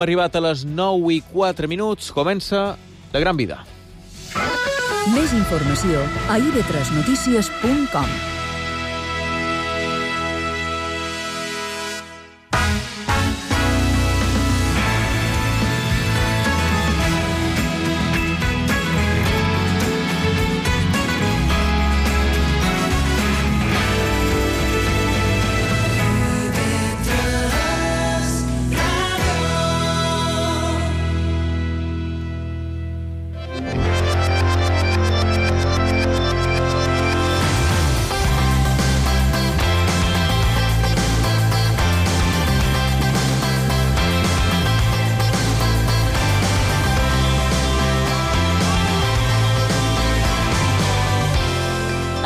Arribat a les 9:04, comença La Gran Vida. Més informació a ib3notícies.com.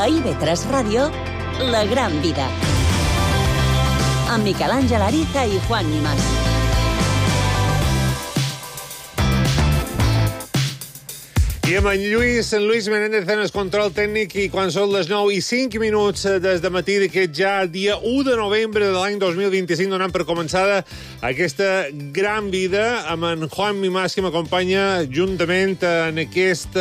A IB3 Ràdio, La Gran Vida. Amb Miquel Àngel Ariza i Juan Nimas. I amb en Luis Menéndez en el control tècnic, i quan són les 9:05 des de matí d'aquest ja dia 1 de novembre de l'any 2025, donant per començada aquesta Gran Vida amb en Juan Nimas, que m'acompanya juntament en aquest...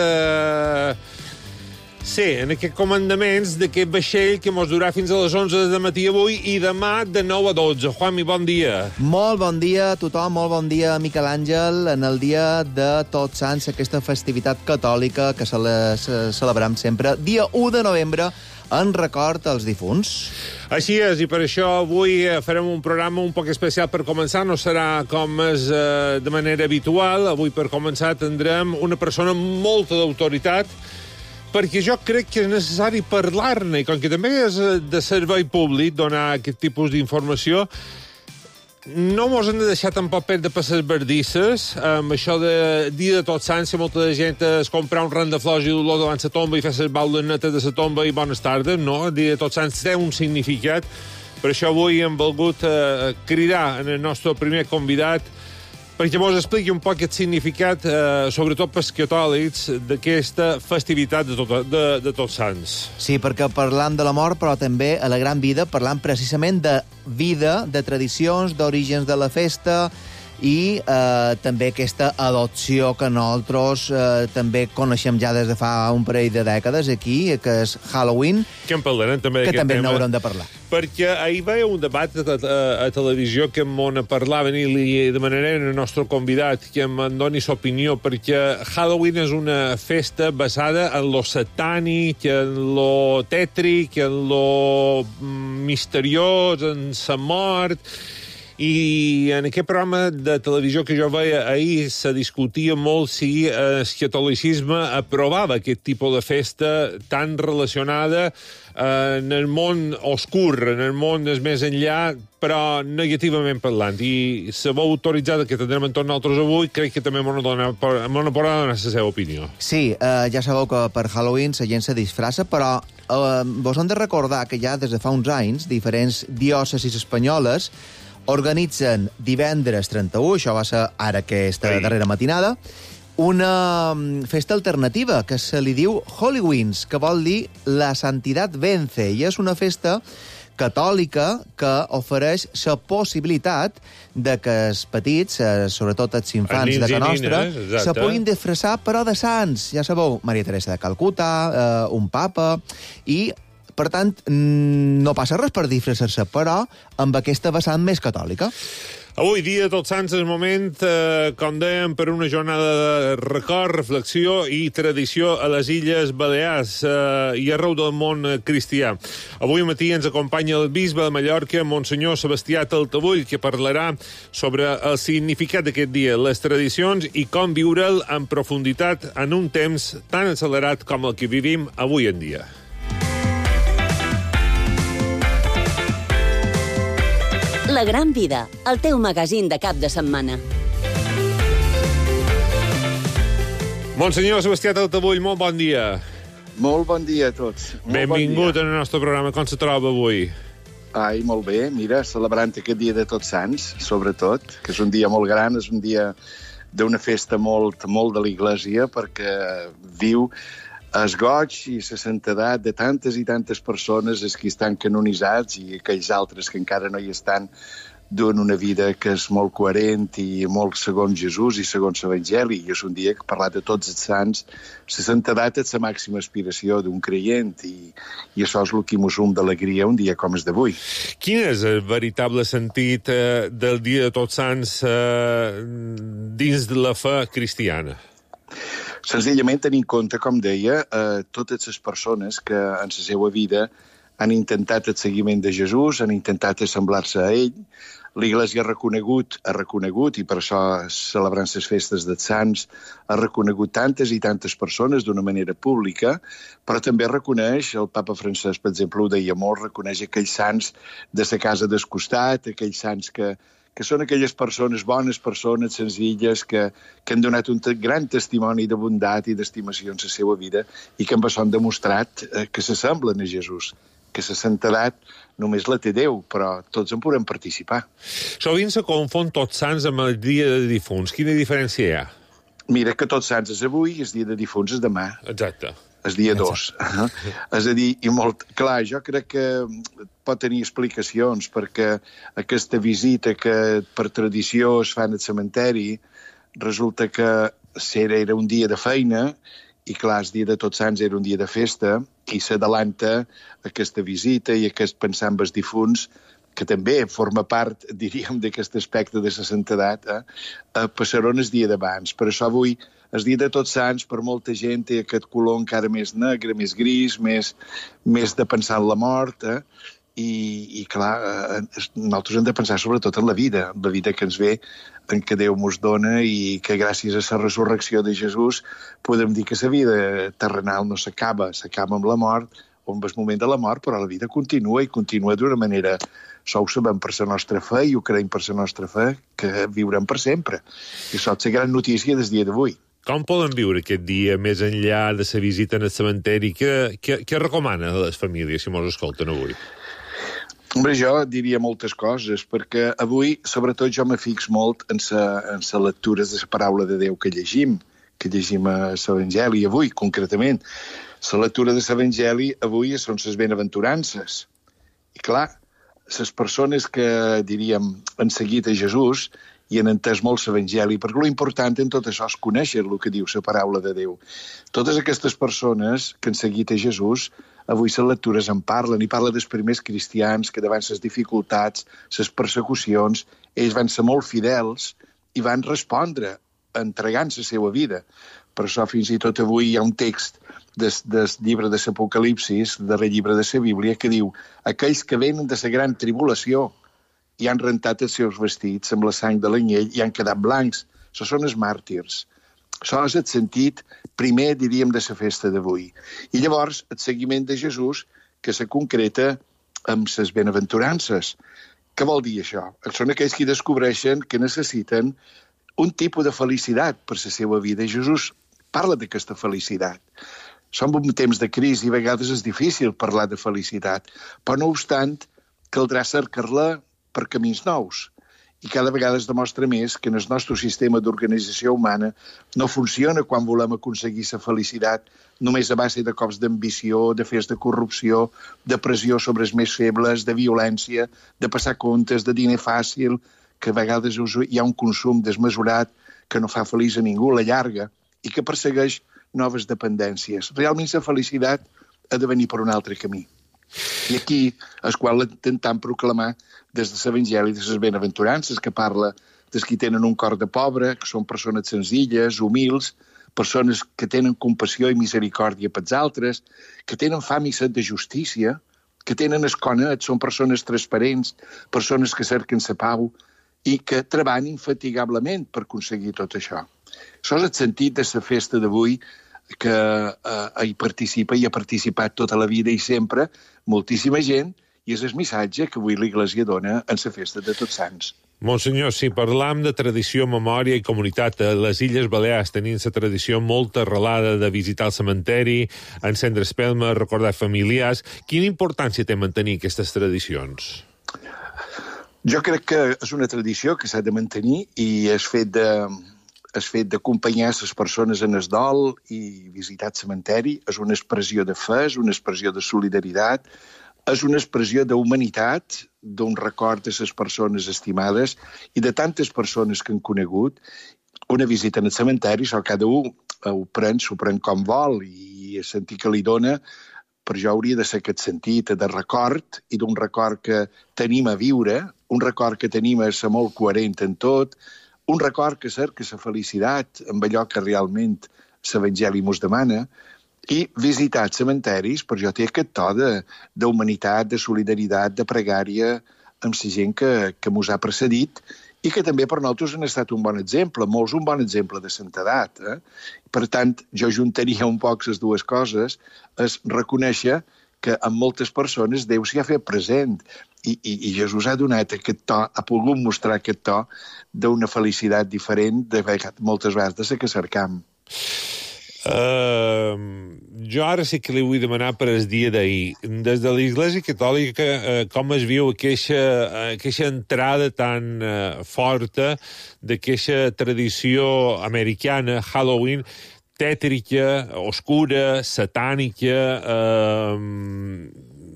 en aquests comandaments d'aquest vaixell que mos durà fins a les 11 de matí avui i demà de 9 a 12. Juanmi, bon dia. Molt bon dia a tothom, molt bon dia, Miquel Àngel, en el dia de Tots Sants, aquesta festivitat catòlica que celebrem sempre, dia 1 de novembre, en record als difunts. Així és, i per això avui farem un programa un poc especial per començar. No serà com és de manera habitual. Avui, per començar, tindrem una persona amb molta d'autoritat, perquè jo crec que és necessari parlar-ne, i com que també és de servei públic donar aquest tipus d'informació, no mos hem de deixar tampoc perdre per les bardisses, amb això de dia de Tots Sants, que molta de gent es comprar un ram de flors i dolor davant la tomba i fer les baules netes de la tomba i bones tardes, no? El dia de Tots Sants té un significat. Per això avui hem volgut cridar en el nostre primer convidat perquè mos expliqui un poc aquest significat, sobretot pels catòlics, d'aquesta festivitat de Tots Sants. Sí, perquè parlam de la mort, però també a La Gran Vida parlam precisament de vida, de tradicions, d'orígens de la festa, i també aquesta adopció que nosaltres també coneixem ja des de fa un parell de dècades aquí, que és Halloween, que en parlarem també que també tema, n'haurem de parlar. Perquè ahir veia un debat a televisió que m'on parlaven i li demanarem al nostre convidat que em doni l'opinió, perquè Halloween és una festa basada en lo satànic, en lo tètric, en lo misteriós, en la mort. I en aquest programa de televisió que jo veia ahir se discutia molt si el catolicisme aprovava aquest tipus de festa tan relacionada en el món oscur, en el món més enllà, però negativament parlant. I la veu autoritzada que tindrem entorn nosaltres avui crec que també m'ho podrà donar la seva opinió. Sí, ja sabeu que per Halloween la gent se disfressa, però vos hem de recordar que ja des de fa uns anys diferents diòcesis espanyoles organitzen divendres 31, això va ser ara aquesta darrera matinada, una festa alternativa que se li diu Halloween, que vol dir la santidad vence, i és una festa catòlica que ofereix la possibilitat de que els petits, sobretot els infants de casa nostra, se puguin disfressar, però de sants. Ja sabeu, Maria Teresa de Calcuta, un papa, i per tant, no passa res per disfressar-se, però amb aquesta vessant més catòlica. Avui, dia de Tots Sants, és moment, com dèiem, per una jornada de record, reflexió i tradició a les Illes Balears i arreu del món cristià. Avui matí ens acompanya el bisbe de Mallorca, Monsenyor Sebastià Taltabull, que parlarà sobre el significat d'aquest dia, les tradicions i com viure'l en profunditat en un temps tan accelerat com el que vivim avui en dia. La Gran Vida, el teu magazín de cap de setmana. Monsenyor Sebastià Taltabull, molt bon dia. Molt bon dia a tots. Benvingut al nostre programa. Com se troba avui? Ai, molt bé. Mira, celebrant aquest dia de Tots Sants, sobretot, que és un dia molt gran, és un dia d'una festa molt de l'Iglésia, perquè viu el goig i la santedat de tantes i tantes persones, els que estan canonitzats i aquells altres que encara no hi estan, duen una vida que és molt coherent i molt segons Jesús i segons l'Evangeli. I és un dia que, parlar de tots els sants, la santedat és la màxima aspiració d'un creient i això és el que mos d'alegria un dia com és d'avui. Quin és el veritable sentit del Dia de Tots Sants dins de la fe cristiana? Senzillament tenir en compte, com deia, totes les persones que en la seva vida han intentat el seguiment de Jesús, han intentat assemblar-se a ell. L'Església ha reconegut, i per això celebrant les festes dels Sants, ha reconegut tantes i tantes persones d'una manera pública, però també reconeix, el papa Francesc, per exemple, ho deia molt, reconeix aquells sants de la casa del costat, aquells sants que són aquelles persones, bones persones, senzilles, que han donat un gran testimoni de bondat i d'estimació en la seva vida i que amb això han demostrat que s'assemblen a Jesús, que la santedat només la té Déu, però tots en podem participar. Sovint se confon Tots Sants amb el Dia de Difunts. Quina diferència hi ha? Mira que Tots Sants és avui i el Dia de Difunts és demà. Exacte. El dia 2. És a dir, i molt clar, jo crec que pot tenir explicacions, perquè aquesta visita que per tradició es fan al cementeri, resulta que era un dia de feina, i clar, el dia de Tots Sants era un dia de festa, i s'adalanta aquesta visita i aquest pensar en els difunts, que també forma part, diríem, d'aquest aspecte de la santedat, passaran el dia d'abans. Per això avui, el dia de Tots Sants, per molta gent, té aquest color encara més negre, més gris, més de pensar en la mort, i clar, nosaltres hem de pensar sobretot en la vida que ens ve, en què Déu mos dona i que gràcies a la resurrecció de Jesús podem dir que la vida terrenal no s'acaba amb la mort o amb el moment de la mort, però la vida continua i continua d'una manera, això ho sabem per la nostra fe i ho creiem per la nostra fe, que viurem per sempre. I això és la gran notícia del dia d'avui. Com poden viure aquest dia més enllà de la visita en el cementeri? Què recomana a les famílies, si mos escolten avui? Hombre, jo diria moltes coses, perquè avui, sobretot, jo me fix molt en la lectura de la paraula de Déu que llegim a l'Evangeli avui, concretament. La lectura de l'Evangeli avui són les benaventurances. I clar, les persones que, diríem, han seguit a Jesús i han entès molt l'Evangeli, perquè l'important en tot això és conèixer el que diu la paraula de Déu. Totes aquestes persones que han seguit a Jesús, avui les lectures en parlen, i parla dels primers cristians que davant les dificultats, les persecucions, ells van ser molt fidels i van respondre entregant la seva vida. Per això fins i tot avui hi ha un text del llibre de l'Apocalipsis, del darrer llibre de la Bíblia, que diu: aquells que venen de la gran tribulació i han rentat els seus vestits amb la sang de l'anyell i han quedat blancs. Això són els màrtirs. Això és el sentit primer, diríem, de la festa d'avui. I llavors, el seguiment de Jesús, que se concreta amb les benaventurances. Què vol dir això? Són aquells que descobreixen que necessiten un tipus de felicitat per la seva vida. Jesús parla d'aquesta felicitat. Som en temps de crisi i a vegades és difícil parlar de felicitat, però no obstant, caldrà cercar-la per camins nous. I cada vegada es demostra més que en el nostre sistema d'organització humana no funciona quan volem aconseguir la felicitat només a base de cops d'ambició, de fets de corrupció, de pressió sobre els més febles, de violència, de passar comptes, de diner fàcil, que a vegades hi ha un consum desmesurat que no fa feliç a ningú, la llarga, i que persegueix noves dependències. Realment la felicitat ha de venir per un altre camí. I aquí és quan l'intentem proclamar des de l'Evangeli de les benaventurances, que parla dels que tenen un cor de pobre, que són persones senzilles, humils, persones que tenen compassió i misericòrdia pels altres, que tenen fam i set de justícia, que tenen esconet, són persones transparents, persones que cerquen la pau i que treballen infatigablement per aconseguir tot això. Això és el sentit de la festa d'avui, que hi participa i ha participat tota la vida i sempre moltíssima gent, i és el missatge que avui l'Església dona en la festa de Tots Sants. Monsenyor, si parlam de tradició, memòria i comunitat, a les Illes Balears tenim la tradició molt arrelada de visitar el cementeri, encendre espelma, recordar familiars. Quina importància té mantenir aquestes tradicions? Jo crec que és una tradició que s'ha de mantenir i és fet d'acompanyar les persones en el dol i visitar el cementeri és una expressió de fe, és una expressió de solidaritat, és una expressió d'humanitat, d'un record de les persones estimades i de tantes persones que han conegut. Una visita en el cementeri, cada un s'ho pren com vol i el sentit que li dona, per jo hauria de ser aquest sentit de record i d'un record que tenim a viure, un record que tenim a ser molt coherent en tot, un record que cerca la felicitat amb allò que realment l'Evangeli mos demana, i visitar els cementaris, per jo té aquest to d'humanitat, de solidaritat, de pregària amb la gent que mos ha precedit i que també per nosaltres han estat un bon exemple, molts un bon exemple de santedat. Per tant, jo juntaria un poc les dues coses, és reconèixer que en moltes persones Déu s'hi ha fet present i Jesús ha donat aquest to, ha pogut mostrar aquest to d'una felicitat diferent moltes vegades de la que cercam. Jo ara sí que li vull demanar per el dia d'ahir. Des de l'Església Catòlica, com es viu aquesta entrada tan forta d'aquesta tradició americana, Halloween, tètrica, oscura, satànica,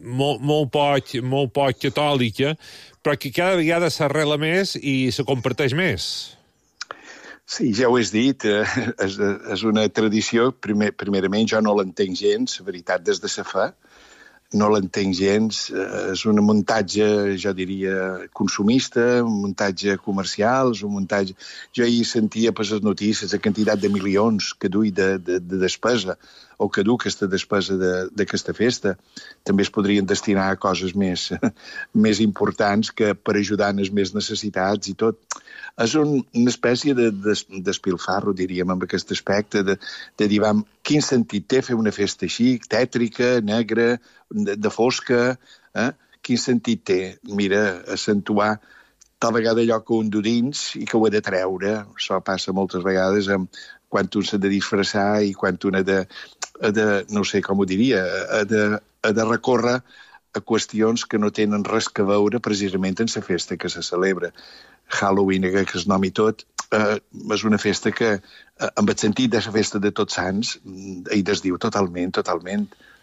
molt poc catòlica, però que cada vegada s'arrela més i se comparteix més. Sí, ja ho has dit, és una tradició, primerament jo no l'entenc gens, la veritat, des de la fe, no l'entenc gens, és un muntatge, jo diria, consumista, un muntatge comercial, és un muntatge... Jo ahir sentia per les notícies la quantitat de milions que dui de despesa, o que du aquesta despesa d'aquesta festa. També es podrien destinar a coses més importants que per ajudar en les més necessitats i tot. És una espècie d'espilfarro, diríem, amb aquest aspecte, de dir, quin sentit té fer una festa així, tètrica, negra, de fosca, quin sentit té? Mira, accentuar tal vegada allò que un du dins i que ho ha de treure. Això passa moltes vegades quan un s'ha de disfressar i quan un ha de no sé com ho diria, ha de recórrer a qüestions que no tenen res que veure precisament en la festa que se celebra. Halloween, que es nomi tot, és una festa que, amb el sentit de la festa de Tots Sants, hi desdiu totalment.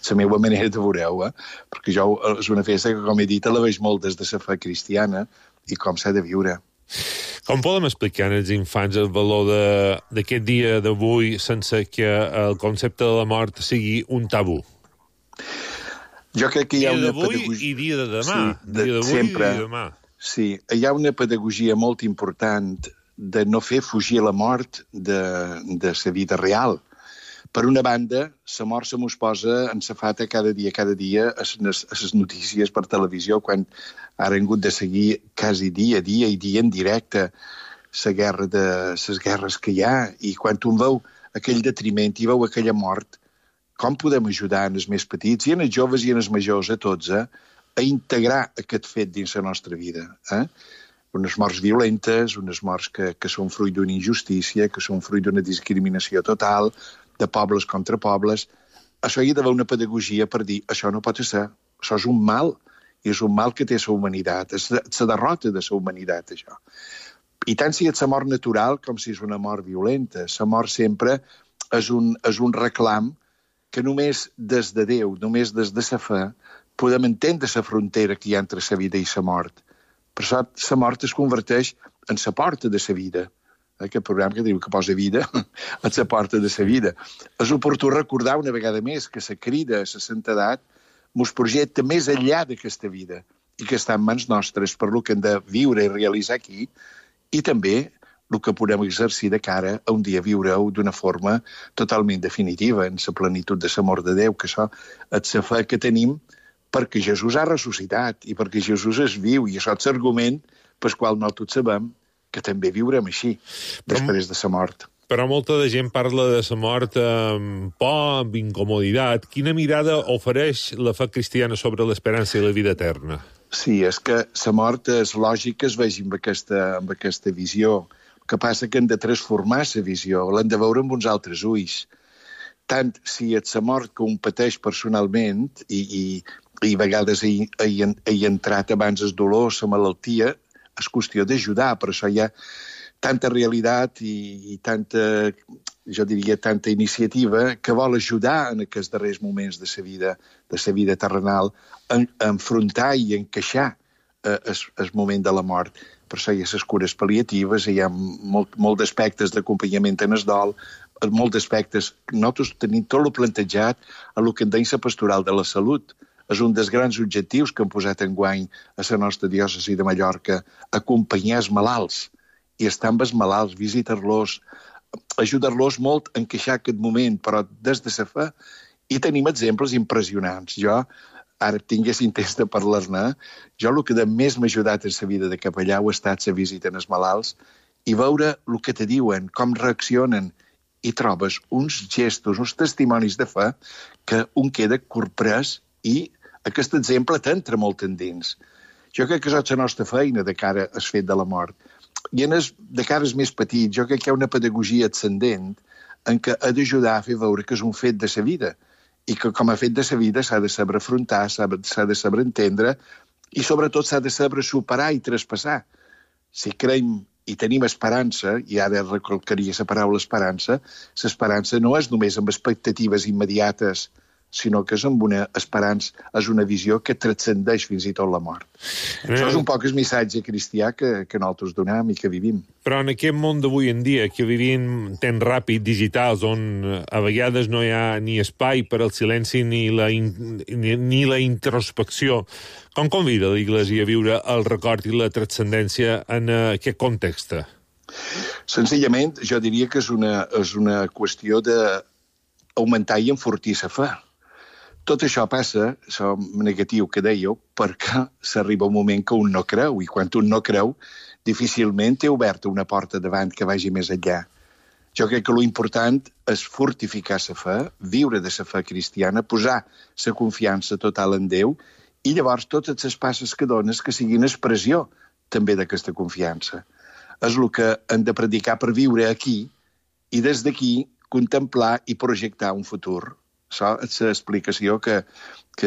La meva manera de veure-ho, perquè jo és una festa que, com he dit, la veig molt des de la fe cristiana i com s'ha de viure. Com podem explicar als infants el valor d'aquest dia d'avui sense que el concepte de la mort sigui un tabú? Jo crec que hi ha una pedagogia... I dia de demà. Sí, dia d'avui sempre. I demà. Sí, hi ha una pedagogia molt important de no fer fugir la mort de la vida real. Per una banda, la mort se mos posa en safata cada dia a les notícies per televisió, quan ara hem hagut de seguir quasi dia en directe les guerres que hi ha, i quan un veu aquell detriment i veu aquella mort, com podem ajudar en els més petits i en els joves i en els majors, a tots, a integrar aquest fet dins la nostra vida. Unes morts violentes, unes morts que són fruit d'una injustícia, que són fruit d'una discriminació total, de pobles contra pobles. Això hi ha d'haver una pedagogia per dir, això no pot ser, això és un mal, i és un mal que té la humanitat, és la derrota de la humanitat, això. I tant si és la mort natural com si és una mort violenta. La mort sempre és un reclam que només des de Déu, només des de la fe, podem entendre la frontera que hi ha entre la vida i la mort. Per això la mort es converteix en la porta de la vida. Aquest programa que diu que posa vida a la porta de la vida. És oportú recordar una vegada més que la crida a la santedat mos projecta més enllà d'aquesta vida i que està en mans nostres per lo que hem de viure i realitzar aquí, i també el que podem exercir de cara a un dia viure-ho d'una forma totalment definitiva, en la plenitud de l'amor de Déu, que això és la fe que tenim perquè Jesús ha ressuscitat i perquè Jesús és viu, i això és l'argument pel qual nosaltres sabem que també viurem així, després de la mort. Però molta de gent parla de la mort amb por, amb incomoditat. Quina mirada ofereix la fe cristiana sobre l'esperança i la vida eterna? Sí, és que la mort és lògic que es vegi amb aquesta visió. El que passa que hem de transformar la visió, l'hem de veure amb uns altres ulls. Tant si és la mort que un pateix personalment i a vegades hi ha entrat abans el dolor, la malaltia, és qüestió d'ajudar, per això hi ha tanta realitat i tanta jo diria, tanta iniciativa que vol ajudar en aquests darrers moments de sa vida terrenal a enfrontar i encaixar el moment de la mort. Per això hi ha les cures pal·liatives, hi ha molt d'aspectes d'acompanyament en el dol, molts aspectes. Nosaltres tenim tot el plantejat a el que en deia la pastoral de la salut. És un dels grans objectius que hem posat enguany a la nostra diòcesi de Mallorca, acompanyar els malalts i estar amb els malalts, visitar-los, ajudar-los molt a encaixar aquest moment, però des de la fe. I tenim exemples impressionants. Jo, ara tinguessin temps de parlar-ne, jo el que més m'ha ajudat en la vida de capellà ha estat la visita als malalts i veure el que te diuen, com reaccionen, i trobes uns gestos, uns testimonis de fe que un queda corprès i aquest exemple t'entra molt endins. Jo crec que és la nostra feina de cara al fet de la mort. I de cara als més petits, jo crec que hi ha una pedagogia ascendent en què ha d'ajudar a fer veure que és un fet de sa vida i que com a fet de sa vida s'ha de saber afrontar, s'ha de saber entendre i sobretot s'ha de saber superar i traspassar. Si creiem i tenim esperança, i ara recalcaria la paraula esperança, l'esperança no és només amb expectatives immediates, sinó que és amb una esperança, és una visió que transcendeix fins i tot la mort. Això és un poc el missatge cristià que nosaltres donem i que vivim. Però en aquest món d'avui en dia, que vivim tan ràpid, digitals, on a vegades no hi ha ni espai per al silenci ni la introspecció, com convida l'Església a viure el record i la transcendència en aquest context? Senzillament, jo diria que és una qüestió d'augmentar i enfortir la fe. Tot això passa, això negatiu que dèieu, perquè s'arriba un moment que un no creu, i quan un no creu, difícilment té oberta una porta davant que vagi més enllà. Jo crec que l'important és fortificar la fe, viure de la fe cristiana, posar la confiança total en Déu, i llavors totes les passes que dones que siguin expressió també d'aquesta confiança. És el que hem de predicar per viure aquí, i des d'aquí contemplar i projectar un futur. Això és l'explicació que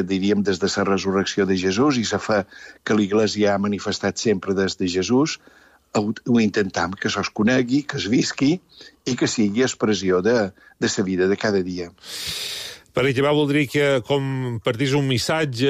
diríem des de la resurrecció de Jesús i la fe que l'Església ha manifestat sempre des de Jesús, ho intentam que això es conegui, que es visqui i que sigui expressió de la vida de cada dia. Per acabar, voldria que compartís un missatge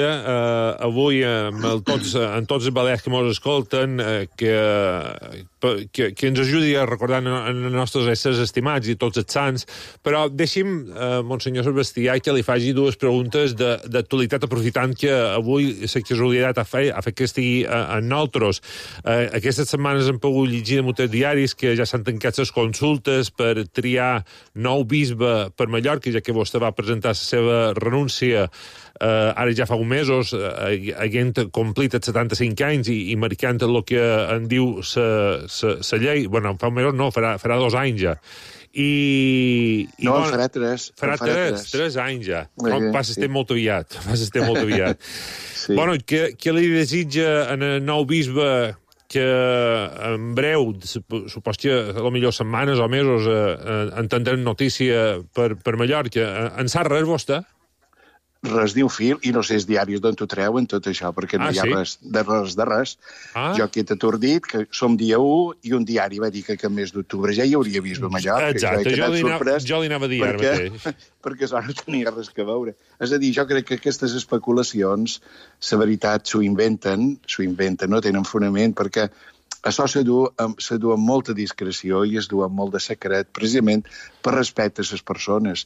avui en tots els balears que ens escolten que ens ajudi a recordar els nostres éssers estimats i tots els sants, però deixi'm, Monsenyor Sebastià, que li faci dues preguntes d'actualitat, aprofitant que avui la casualitat ha fet que estigui en nosaltres. Aquestes setmanes hem pogut llegir en molts diaris que ja s'han tancat les consultes per triar nou bisbe per Mallorca, ja que vostè va presentar la seva renúncia ara ja fa uns mesos, havent complit els 75 anys i marcant el que en diu la llei. Bueno, fa uns mesos no, farà 2 anys ja. No, farà 3. Farà 3 anys ja. Passa el temps molt aviat. Sí. Bueno, què li desitja en el nou bisbe que en breu, supos que potser setmanes o mesos, entendrem notícia per Mallorca. En sap res vostè? Res ni un fil, i no sé els diaris d'on t'ho treuen tot això, perquè no hi ha res de res. Jo aquí t'he atordit que som dia 1 i un diari va dir que el mes d'octubre ja hi hauria vist a Mallorca. Exacte, jo li anava a dir ara mateix. Perquè això no tenia res que veure. És a dir, jo crec que aquestes especulacions, la veritat, s'ho inventen, no tenen fonament, perquè això se du amb molta discreció i es du amb molt de secret, precisament per respecte a les persones.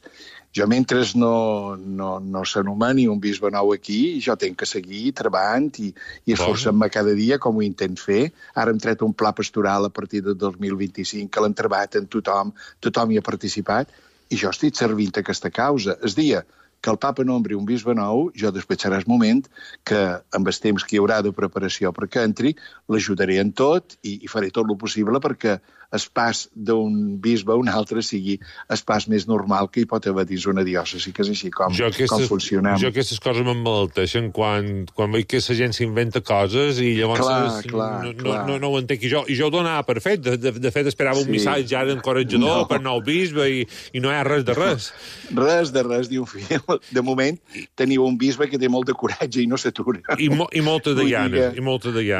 Jo, mentre no s'anomeni un bisbe nou aquí, jo tenc que seguir treballant i esforçant-me cada dia, com ho intent fer. Ara hem tret un pla pastoral a partir del 2025, que l'han treballat en tothom hi ha participat, i jo estic servint aquesta causa. És dia que el papa nombri un bisbe nou, jo despatxarà el moment que, amb el temps que hi haurà de preparació perquè entri, l'ajudaré en tot i faré tot el possible perquè el pas d'un bisbe a un altre sigui el pas més normal que hi pot haver dins una diòcesi, que és així com funcionem. Jo aquestes coses m'emmalalteixen quan veig que la gent s'inventa coses i llavors no ho entenc. I jo ho donava per fet. De fet, esperava un missatge ara encoratjador per nou bisbe i no hi ha res de res. Res de res, diu fill. De moment, teniu un bisbe que té molt de coratge i no s'atura. I molta de ganes.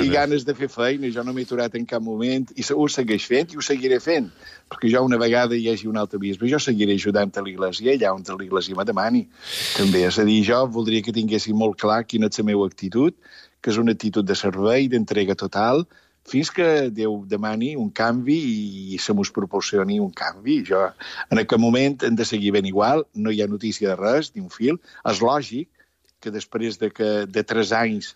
I ganes de fer feina. Jo no m'he aturat en cap moment i ho segueix fent i ho seguiré fent, perquè jo una vegada hi hagi un altre bisbe, jo seguiré ajudant a l'Iglésia allà on l'Iglésia me demani. També, és a dir, jo voldria que tinguessin molt clar quina és la meva actitud, que és una actitud de servei, d'entrega total, fins que Déu demani un canvi i se mos proporcioni un canvi. Jo, en aquest moment hem de seguir ben igual, no hi ha notícia de res, ni un fil. És lògic que després de 3 anys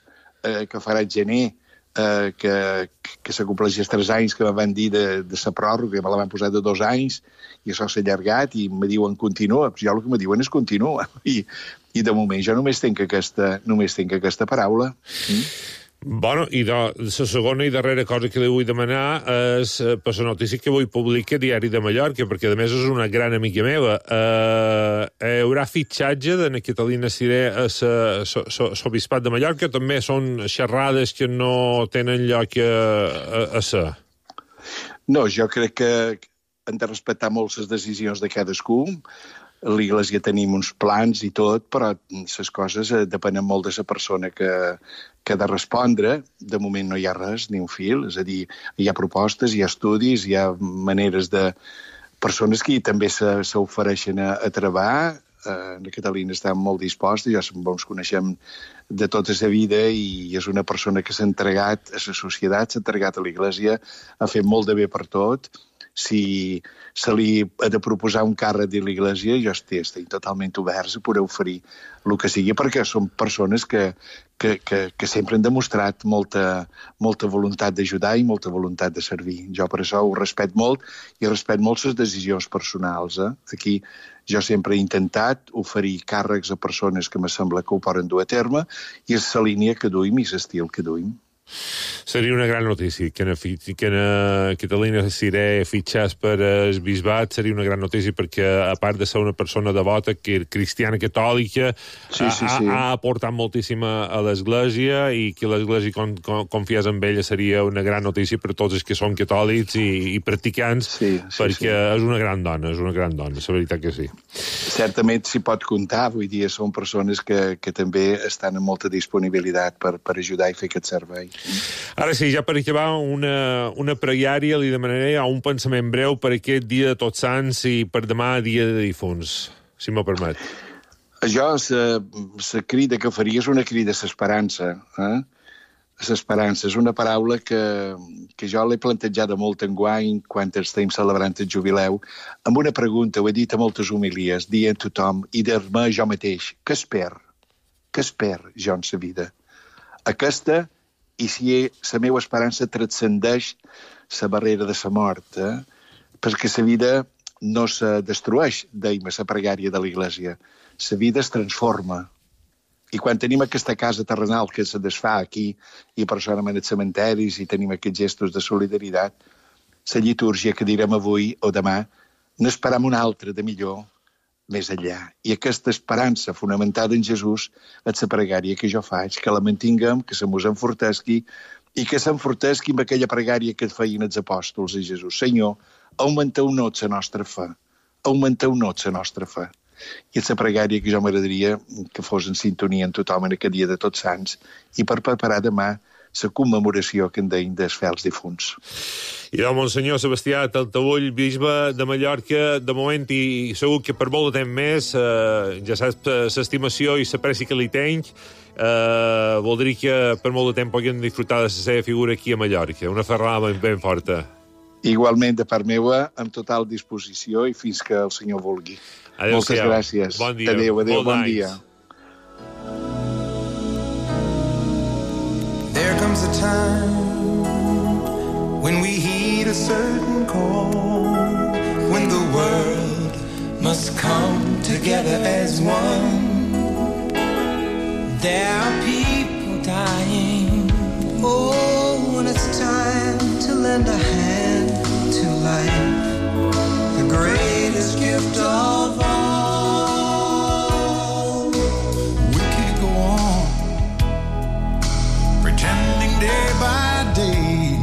que farà el gener, que s'acompleixi els 3 anys que me van dir de la pròrroga, me la van posar de 2 anys, i això s'ha allargat, i me diuen continua. Jo el que me diuen és continua. I de moment jo només tinc aquesta paraula. Bueno, i la segona i darrera cosa que li vull demanar és per la notícia que avui publica Diari de Mallorca, perquè a més és una gran amiga meva. Hi haurà fitxatge de Catalina Ciré a l'Obispat de Mallorca? També són xerrades que no tenen lloc a ser? No, jo crec que hem de respectar molt les decisions de cadascú. A l'Iglésia tenim uns plans i tot, però les coses depenen molt de la persona que ha de respondre. De moment no hi ha res, ni un fil. És a dir, hi ha propostes, hi ha estudis, hi ha maneres de... persones que també s'ofereixen a treballar. La Catalina està molt disposta, ja ens coneixem de tota la vida i és una persona que s'ha entregat a la societat, s'ha entregat a l'Iglésia, ha fet molt de bé per tot. Si se li ha de proposar un càrrec de l'Iglésia, jo estic totalment oberts a poder oferir el que sigui, perquè són persones que sempre han demostrat molta voluntat d'ajudar i molta voluntat de servir. Jo per això ho respecto molt i respecto molt les decisions personals. Aquí jo sempre he intentat oferir càrrecs a persones que me sembla que ho poden dur a terme i és la línia que duim i l'estil que duim. Seria una gran notícia que Catalina Ciré fitxés per el bisbat. Seria una gran notícia perquè, a part de ser una persona devota, cristiana catòlica, ha aportat moltíssim a l'Església, i que l'Església confiés en ella seria una gran notícia per tots els que són catòlics i practicants, perquè és una gran dona, la veritat que sí. Certament s'hi pot comptar, vull dir, són persones que també estan amb molta disponibilitat per ajudar i fer aquest servei. Ara sí, ja per acabar, una pregària, li demanaré un pensament breu per aquest dia de Tots Sants i per demà, dia de difunts, si m'ho permet. Jo, la crida que faria és una crida a l'esperança. L'esperança és una paraula que jo l'he plantejada molt enguany quan estem celebrant el jubileu, amb una pregunta, ho he dit a moltes homilies, dient a tothom, i dir-me jo mateix, què esper jo en la vida? Aquesta, i si la meva esperança transcendeix la barrera de la mort, perquè la vida no se destrueix, deim a la pregària de l'Iglésia. La vida es transforma. I quan tenim aquesta casa terrenal que se desfà aquí, i per això anem als cementaris i tenim aquests gestos de solidaritat, la litúrgia que direm avui o demà, n'esperam una altra de millor, més enllà. I aquesta esperança fonamentada en Jesús és la pregària que jo faig, que la mantinguem, que se mos enfortesqui i que s'enfortesqui amb aquella pregària que feien els apòstols de Jesús. Senyor, augmenteu-nos la nostra fe. Augmenteu-nos la nostra fe. I és la pregària que jo m'agradaria que fos en sintonia amb tothom en aquest dia de Tots Sants i per preparar demà la commemoració que en deim dels fels difunts. I del Monsenyor Sebastià Taltabull, bisbe de Mallorca, de moment, i segur que per molt de temps més, ja saps l'estimació i l'apreci que li tenc, voldria que per molt de temps puguin disfrutar de la seva figura aquí a Mallorca. Una ferrada ben forta. Igualment, de part meva, amb total disposició i fins que el Senyor vulgui. Moltes gràcies. Bon dia. Adéu, bon dia. There comes a time when we heed a certain call, when the world must come together as one. There are people dying. Oh, when it's time to lend a hand to life, the greatest gift of all. We could go on pretending day by day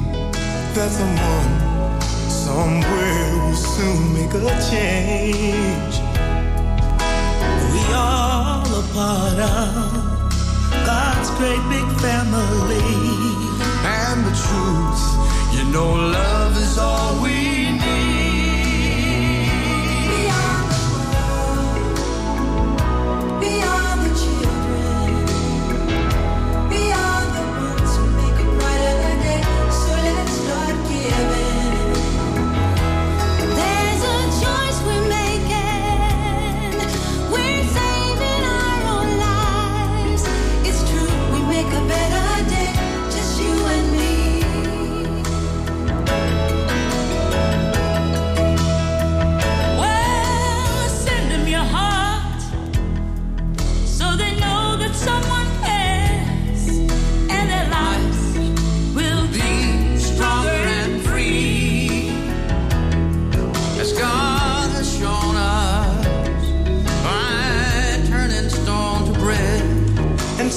that someone somewhere will soon make a change. We all a part of God's great big family, and the truth, you know, love is all we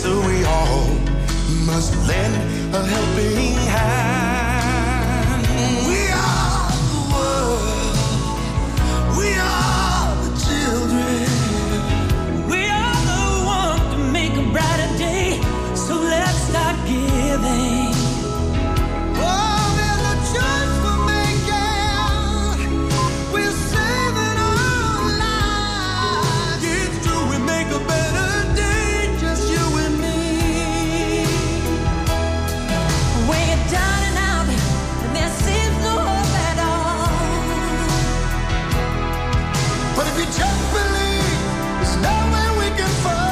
so we all must lend a helping hand. We are the world, we are the children, we are the one to make a brighter day, so let's start giving. Oh, there's a choice we're making, we're saving our lives. It's true, we make a better day, just you and me. When you're down and out, and there seems no hope at all. But if you just believe, there's nowhere we can fall.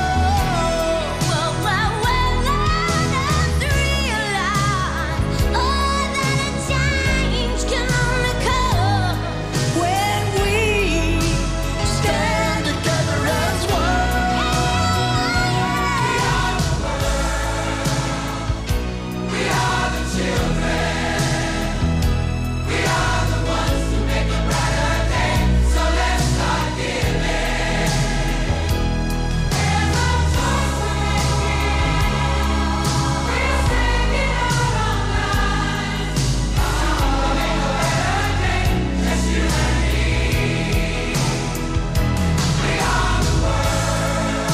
Well, learn to realize, oh, that a change can only come When we stand together as one. We are the children. We are the ones who make a brighter day. So let's start giving. There's no choice we're making. We're saving our own lives. To make a better day, just you and me. We are the world.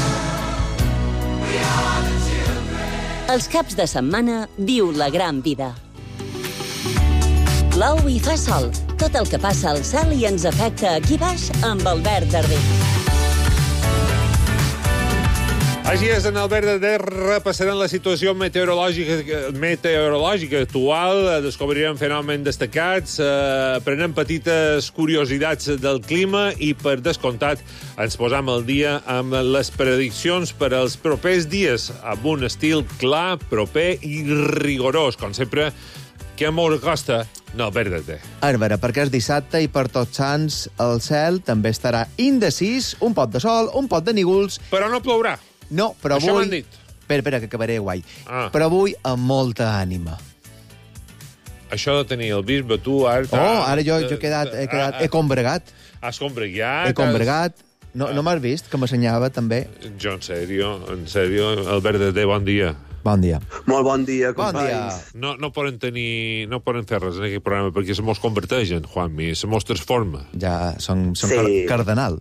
We are the children. Els caps de setmana viu la gran vida. Plou i fa sol. Tot el que passa al cel i ens afecta aquí baix amb Albert Darder. Així és, en Albert Darder repassarem la situació meteorològica actual, descobrirem fenòmens destacats, aprenem petites curiositats del clima i, per descomptat, ens posam al dia amb les prediccions per als propers dies, amb un estil clar, proper i rigorós, com sempre, que molt costa Albert Darder. Àrvara, perquè és dissabte i per Tots Sants el cel també estarà indecis, un pot de sol, un pot de nígols. Però no plourà. No, però Això avui... m'han dit. Espera, que acabaré guai. Ah. Però avui amb molta ànima. Això de tenir el bisbe, tu, ara... Ara jo he quedat... He combregat. Has combregat. He combregat. No m'has vist, que m'assenyava també? Jo, en sèrio, Albert Darder, bon dia. Bon dia. Molt bon dia, Bon dia. companys. No poden fer res en aquest programa perquè se mos converteixen, Juanmi, se mos transforma. Ja són Sí. cardenal.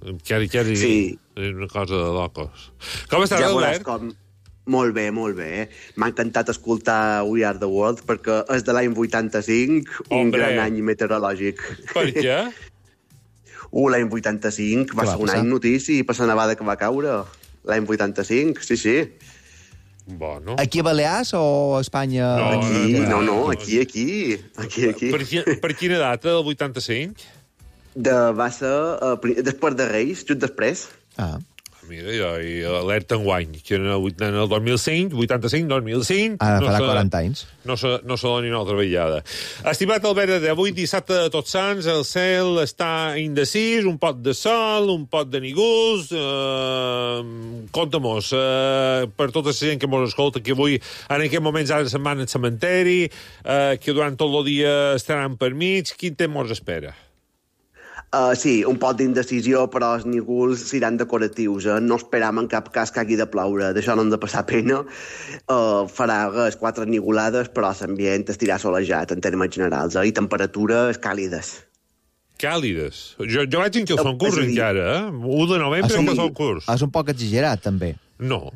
Sí. És una cosa de locos. Com estàs, Ja veuràs Albert? com... Molt bé, molt bé. M'ha encantat escoltar We Are the World perquè és de l'any 85, un Hombre. gran any meteorològic. Per què? L'any 85 va Què va ser un passar? any notícia per la nevada que va caure. L'any 85, sí. Bueno. Aquí a Balears o a Espanya? Aquí. Per quina data, del 85? Va ser després de Reis, just després. Ah. Mira, jo, i alerta enguany, que en el 2005, 85, 2005... Ara farà 40 anys. No se doni una altra vetllada. Estimat Albert Darder, avui dissabte de Tots Sants, el cel està indecis, un pot de sol, un pot de nígols... Conta-mos, per tota la gent que mos escolta, que avui, en aquest moments, ara se'n van al cementeri, que durant tot el dia estaran per mig, quin temps mos espera? Sí, un pot d'indecisió, però els nígols seran decoratius. No esperam en cap cas que hagi de ploure. D'això no hem de passar pena. Farà 4 nigolades, però l'ambient estirà solejat en termes generals, i temperatures càlides. Càlides? Jo vaig en que el concurs encara, 1 de novembre sí. que el concurs. És un poc exagerat, també. No.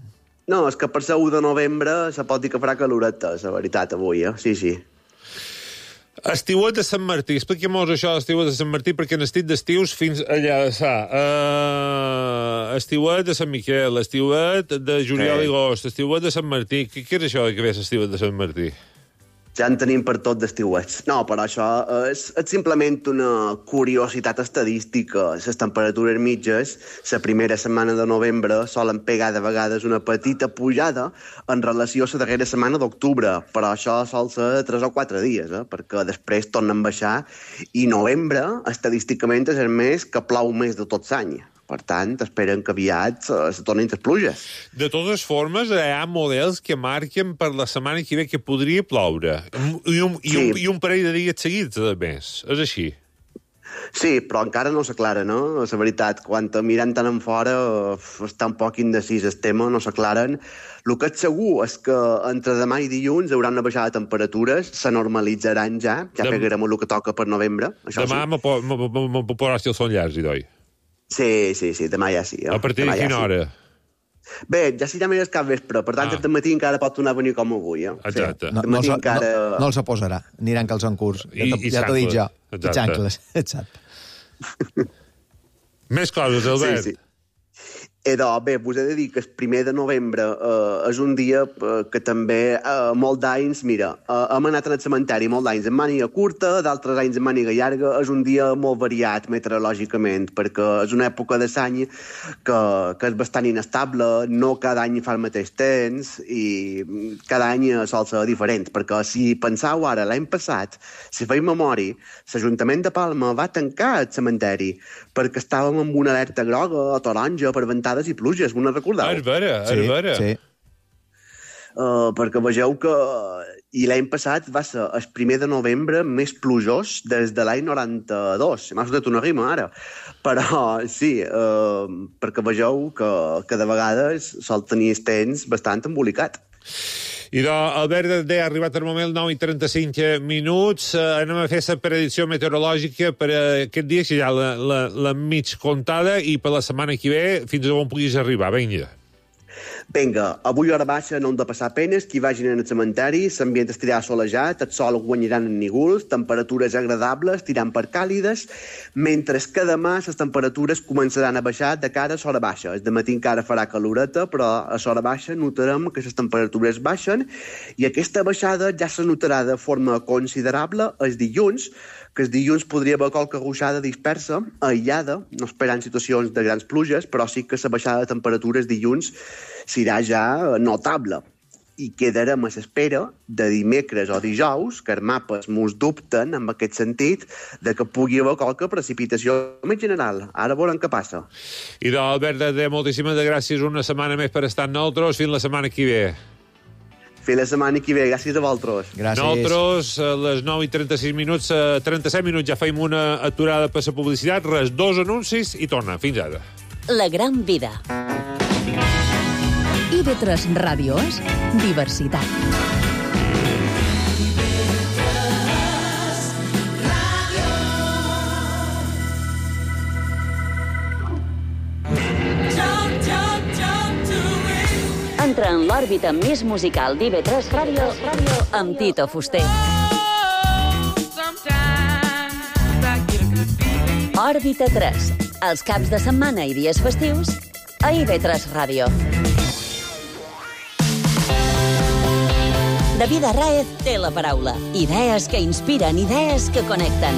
No, és que per ser 1 de novembre se pot dir que farà caloreta, la veritat, avui, Sí. Estiuet de Sant Martí. Expliquem-nos això d'estiuet de Sant Martí, perquè n'estic d'estius fins allà de sa. Estiuet de Sant Miquel, estiuet de juliol i agost, estiuet de Sant Martí. Què és això que ve l'estiuet de Sant Martí? Ja en tenim per tot d'estiuets. No, però això és simplement una curiositat estadística. Les temperatures mitges, la primera setmana de novembre, solen pegar de vegades una petita pujada en relació a la darrera setmana d'octubre, però això sol ser 3 o 4 dies, perquè després tornen a baixar, i novembre, estadísticament, és el mes que plou més de tot l'any. Per tant, esperen que aviat se tornin les pluges. De totes formes, hi ha models que marquen per la setmana que ve que podria ploure. I un parell de dies seguits, a més. És així. Sí, però encara no s'aclara, no? La veritat, quan mirant tant en fora està un poc indecís el tema, no s'aclaren. El que és segur és que entre demà i dilluns hi haurà una baixada de temperatures, se normalitzaran ja pegarem el que toca per novembre. Això demà sí. me podràs dir el son llarg, Idoi. Sí, demà ja sí. A partir de quina hora? Bé, ja sí, ja m'he cap vespre, per tant, aquest matí encara pot tornar a venir com avui. Exacte. Sí. No els posarà, aniran calçant curs. Ja t'ho dic jo. I xancles. Exacte. Més coses, Albert. Sí. Bé, vos he de dir que el 1 de novembre és un dia que també molt d'anys, mira, hem anat al cementeri molt d'anys en màniga curta, d'altres anys en màniga llarga, és un dia molt variat meteorològicament, perquè és una època de l'any que és bastant inestable, no cada any fa el mateix temps i cada any sol ser diferent, perquè si penseu ara, l'any passat, si feim memòria, l'Ajuntament de Palma va tancar el cementeri perquè estàvem amb una alerta groga o taronja per ventades i pluges, m'ho recordeu? És vera. Sí. Perquè vegeu que... I l'any passat va ser el 1 de novembre més plujós des de l'any 92. M'ha sortit una rima, ara. Però sí, perquè vegeu que de vegades sol tenir el temps bastant embolicat. Albert, ha arribat el moment, 9:35 minuts. Anem a fer la predicció meteorològica per aquest dia, que ja la mig comptada, i per la setmana que ve, fins on puguis arribar. Vinga, avui a hora baixa no hem de passar penes, qui vagin al cementeri, l'ambient estirà solejat, el sol guanyaran en nígols, temperatures agradables, tirant per càlides, mentre que demà les temperatures començaran a baixar de cara a l'hora baixa. El dematí encara farà caloreta, però a l'hora baixa notarem que les temperatures baixen i aquesta baixada ja se notarà de forma considerable el dilluns, que el dilluns podria haver qualque ruixada dispersa, aïllada, no esperant situacions de grans pluges, però sí que la baixada de temperatures dilluns serà ja notable. I quedarem a l'espera de dimecres o dijous, que els mapes mos dubten en aquest sentit, de que pugui haver qualque precipitació més general. Ara veurem què passa. Albert, moltíssimes gràcies una setmana més per estar amb nosaltres. Fins la setmana que ve. Fins la setmana que ve. Gràcies a vosaltres. Gràcies. Nosaltres, a les 9:36 minuts, 37 minuts, ja feim una aturada per la publicitat, res, 2 anuncis i torna. Fins ara. La gran vida. IB3 Ràdio és diversitat. Entra en l'òrbita més musical d'IB3 Ràdio amb Tito Fuster. Òrbita 3, els caps de setmana i dies festius a IB3 Ràdio. David Arráez té la paraula. Idees que inspiren, idees que connecten.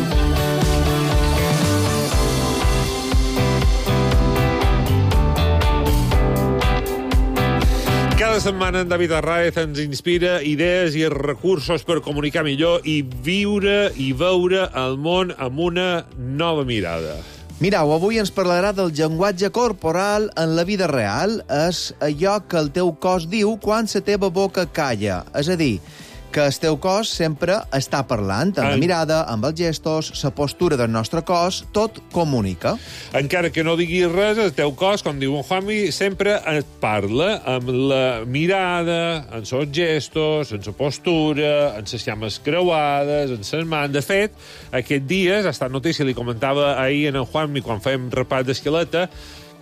Cada setmana en David Arráez ens inspira idees i recursos per comunicar millor i viure i veure el món amb una nova mirada. Mireu, avui ens parlarà del llenguatge corporal en la vida real. És allò que el teu cos diu quan la teva boca calla. És a dir, que el teu cos sempre està parlant, amb la mirada, amb els gestos, la postura del nostre cos, tot comunica. Encara que no diguis res, el teu cos, com diu en Juanmi, sempre et parla amb la mirada, en els gestos, en la postura, en les llames creuades, en les mans. De fet, aquest dia, ha estat notícia, li comentava ahir en Juanmi quan fèiem repat d'esqueleta,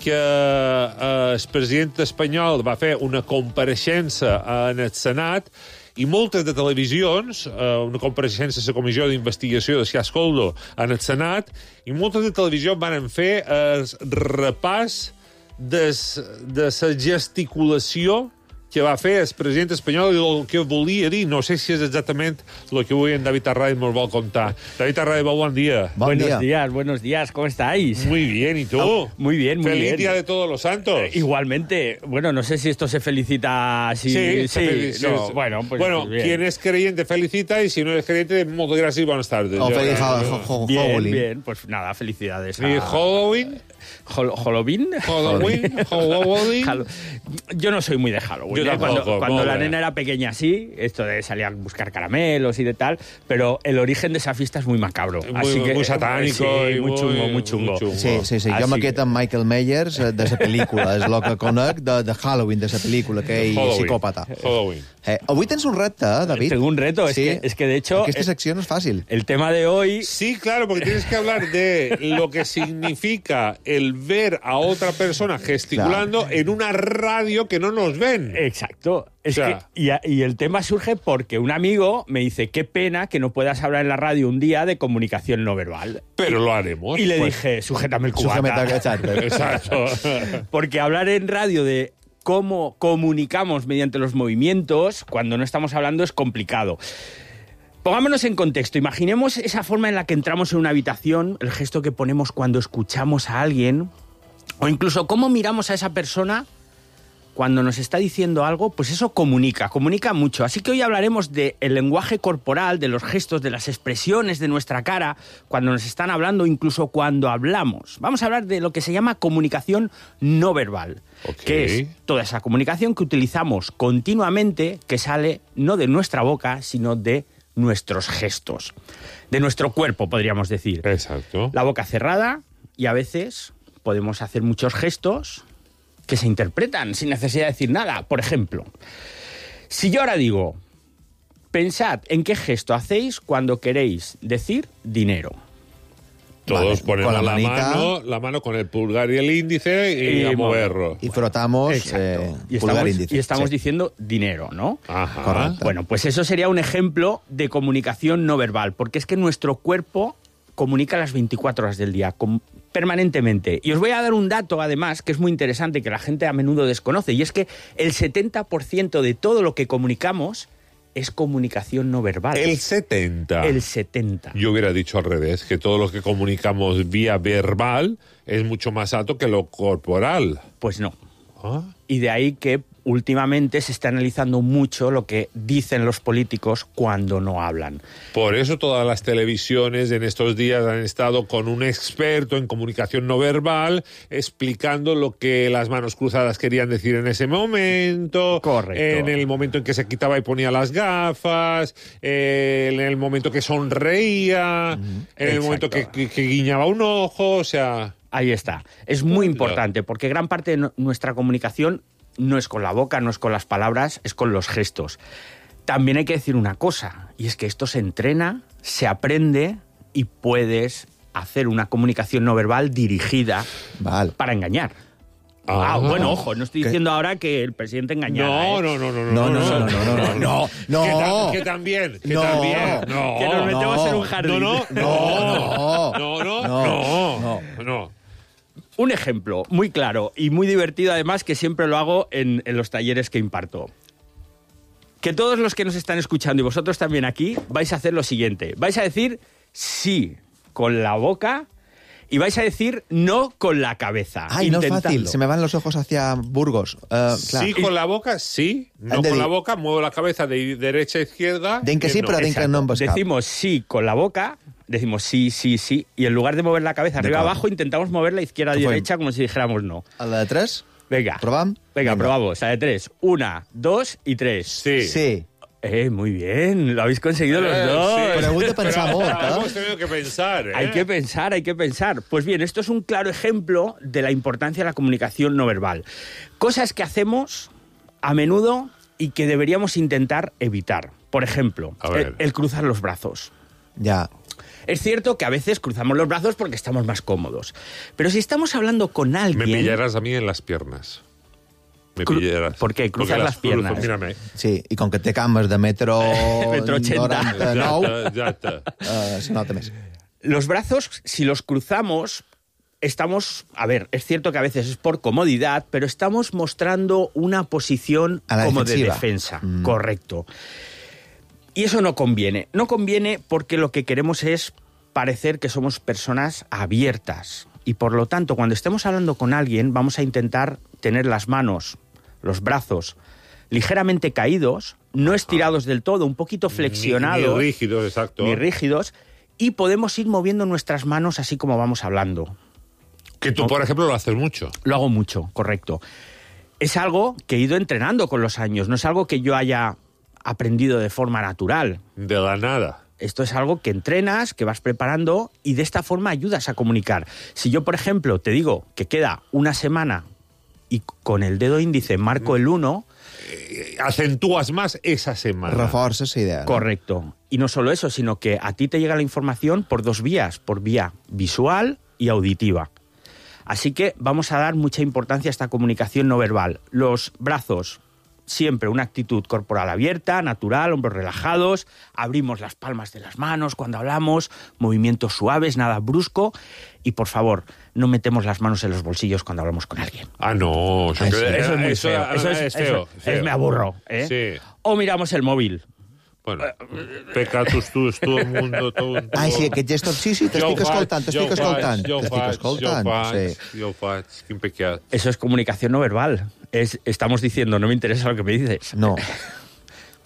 que el president espanyol va fer una compareixença en el Senat i moltes de televisions, una compareixença a la Comissió d'Investigació de Cas Coldo en el Senat, i moltes de televisions van fer el repàs de la gesticulació que va fer el president espanyol i el que volia dir. No sé si és exactament el que avui en David Arráez nos vol contar. David Arráez, bon dia. Buenos días, ¿cómo estáis? Muy bien, ¿y tú? Muy bien, muy bien. Feliz Día de Todos los Santos. Igualmente. Bueno, no sé si esto se felicita así. Sí. No, bueno, pues bien. Quien es creyente felicita y si no es creyente, muchas gracias y buenas tardes. Feliz Halloween. Bien, pues nada, felicidades. ¿Y Halloween? ¿Halloween? Halloween. Yo no soy muy de Halloween. Cuando la nena era pequeña, sí, esto de salir a buscar caramelos y de tal, pero el origen de esa fiesta es muy macabro. Muy satánico. Sí, muy chungo. Sí. Jo me quedo amb Michael Myers de la pel·lícula. És el que conec de Halloween, de la pel·lícula, aquell psicòpata. Halloween. Avui tens un repte, David. Tengo un reto, Sí. es que de hecho... Aquesta secció no és fàcil. El tema de hoy... Sí, claro, porque tienes que hablar de lo que significa el ver a otra persona gesticulando en una radio que no nos ven. Exacto. Es O sea, y el tema surge porque un amigo me dice, qué pena que no puedas hablar en la radio un día de comunicación no verbal. Pero lo haremos. Y le pues. dije, sujétame el cubata. Exacto. Porque hablar en radio de cómo comunicamos mediante los movimientos, cuando no estamos hablando, es complicado. Pongámonos en contexto. Imaginemos esa forma en la que entramos en una habitación, el gesto que ponemos cuando escuchamos a alguien, o incluso cómo miramos a esa persona cuando nos está diciendo algo, pues eso comunica mucho. Así que hoy hablaremos del lenguaje corporal, de los gestos, de las expresiones de nuestra cara, cuando nos están hablando, incluso cuando hablamos. Vamos a hablar de lo que se llama comunicación no verbal, que es toda esa comunicación que utilizamos continuamente, que sale no de nuestra boca, sino de nuestros gestos, de nuestro cuerpo, podríamos decir. Exacto. La boca cerrada, y a veces podemos hacer muchos gestos que se interpretan sin necesidad de decir nada. Por ejemplo, si yo ahora digo, pensad en qué gesto hacéis cuando queréis decir dinero. Todos ponemos con la mano con el pulgar y el índice y a moverlo. Y frotamos pulgar índice. Y estamos diciendo dinero, ¿no? Ajá. Correcto. Bueno, pues eso sería un ejemplo de comunicación no verbal, porque es que nuestro cuerpo comunica las 24 horas del día, permanentemente. Y os voy a dar un dato, además, que es muy interesante, que la gente a menudo desconoce, y es que el 70% de todo lo que comunicamos es comunicación no verbal. El 70. El 70. Yo hubiera dicho al revés, que todo lo que comunicamos vía verbal es mucho más alto que lo corporal. Pues no. ¿Ah? Y de ahí que últimamente se está analizando mucho lo que dicen los políticos cuando no hablan. Por eso todas las televisiones en estos días han estado con un experto en comunicación no verbal explicando lo que las manos cruzadas querían decir en ese momento. Correcto. En el momento en que se quitaba y ponía las gafas, en el momento que sonreía, en el momento que guiñaba un ojo, o sea... Ahí está. Es muy importante porque gran parte de nuestra comunicación no es con la boca, no es con las palabras, es con los gestos. También hay que decir una cosa, y es que esto se entrena, se aprende y puedes hacer una comunicación no verbal dirigida para engañar. Bueno, ojo, no estoy diciendo ahora que el presidente engañara. No. Que también. Que nos metemos en un jardín. No. Un ejemplo muy claro y muy divertido, además, que siempre lo hago en los talleres que imparto. Que todos los que nos están escuchando y vosotros también aquí vais a hacer lo siguiente. Vais a decir sí con la boca y vais a decir no con la cabeza. Ay, no es fácil. Se me van los ojos hacia Burgos. Sí con la boca, sí. No con la boca, muevo la cabeza de derecha a izquierda. Den que sí, però den que no em bescap. Decimos sí con la boca... Decimos sí, y en lugar de mover la cabeza arriba abajo, intentamos mover la izquierda y derecha como si dijéramos no. ¿A la de 3? Venga. ¿Provam? Venga, probamos. A la de 3. 1, 2 y 3. Sí. Muy bien. Lo habéis conseguido los dos. Sí. Pero heu de pensar molt, Hemos tenido que pensar, Hay que pensar. Pues bien, esto es un claro ejemplo de la importancia de la comunicación no verbal. Cosas que hacemos a menudo y que deberíamos intentar evitar. Por ejemplo, el cruzar los brazos. Ya. Es cierto que a veces cruzamos los brazos porque estamos más cómodos. Pero si estamos hablando con alguien... Me pillarás a mí en las piernas. Pillarás. ¿Por qué? Cruzar las piernas. Mírame. Sí, i com que té cames de metro... metro 80. 99, se nota més. Los brazos, si los cruzamos, estamos... A ver, es cierto que a veces es por comodidad, pero estamos mostrando una posición como de defensa. Correcto. Y eso no conviene. No conviene porque lo que queremos es parecer que somos personas abiertas. Y por lo tanto, cuando estemos hablando con alguien, vamos a intentar tener las manos, los brazos, ligeramente caídos, no estirados del todo, un poquito flexionados. Ni rígidos, exacto. Ni rígidos. Y podemos ir moviendo nuestras manos así como vamos hablando. Que tú, por ejemplo, lo haces mucho. Lo hago mucho, correcto. es algo que he ido entrenando con los años, no es algo que yo haya aprendido de forma natural. De la nada. Esto es algo que entrenas, que vas preparando y de esta forma ayudas a comunicar. Si yo, por ejemplo, te digo que queda una semana y con el dedo índice marco el 1... acentúas más esa semana. Reforces esa idea. Correcto. Y no solo eso, sino que a ti te llega la información por dos vías, por vía visual y auditiva. Así que vamos a dar mucha importancia a esta comunicación no verbal. Los brazos, siempre una actitud corporal abierta, natural, hombros relajados, abrimos las palmas de las manos cuando hablamos, movimientos suaves, nada brusco, y por favor, no metemos las manos en los bolsillos cuando hablamos con alguien. Ah, no. Eso es muy feo. Eso es me aburro. Sí. O miramos el móvil. Bueno, pecatus tus, todo el mundo... Ai, sí, aquest gestor... Sí, t'estic escoltant. Jo ho faig, quin pecat. Eso es comunicación no verbal. Estamos diciendo, no me interesa lo que me dices. No.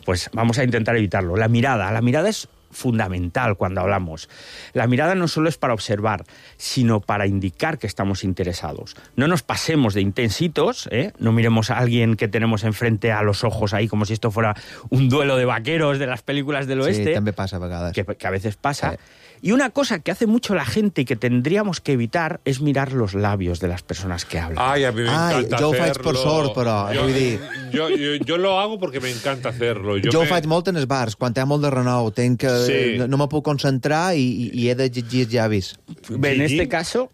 Pues vamos a intentar evitarlo. La mirada es fundamental cuando hablamos. La mirada no solo es para observar, sino para indicar que estamos interesados. No nos pasemos de intensitos, ¿eh? No miremos a alguien que tenemos enfrente a los ojos ahí como si esto fuera un duelo de vaqueros de las películas del oeste. Sí, també passa a vegades. Que a veces pasa. Y una cosa que hace mucho la gente y que tendríamos que evitar es mirar los labios de las personas que hablan. Ay, a mí me encanta jo ho hacerlo. faig per sort, però vull dir... Jo lo hago porque me encanta hacerlo. Jo ho faig molt en els bars, quan hi ha molt de renou. No me puc concentrar i he de llegir els llavis. Bé, en este caso...